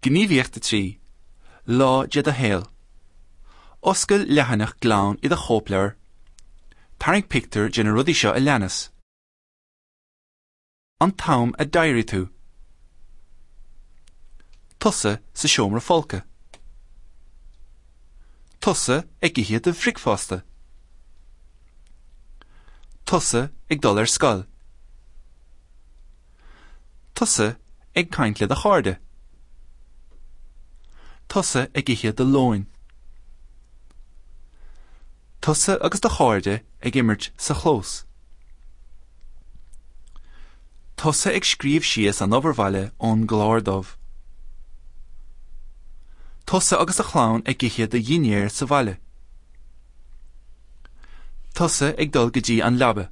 Gníomhaíocht 3, Lá de do shaol. Oscail leathanach glan i do chóipleabhar. Tarraing pictiúr de na rudaí seo a leanas. An t-am a d'éirigh tú. Tusa sa seomra folctha. Tusa ag ithe do bhricfeasta. Tusa ag dul ar scoil. Tusa ag caint le do chairde. Tusa ag ithe do lóin. Tusa agus do chairde ag imirt sa chlós. Tusa ag scríobh síos an obair bhaile ón gclár dubh. Tusa agus do chlann ag ithe do dhinnéar sa bhaile. Tusa ag dul go dtí an leaba.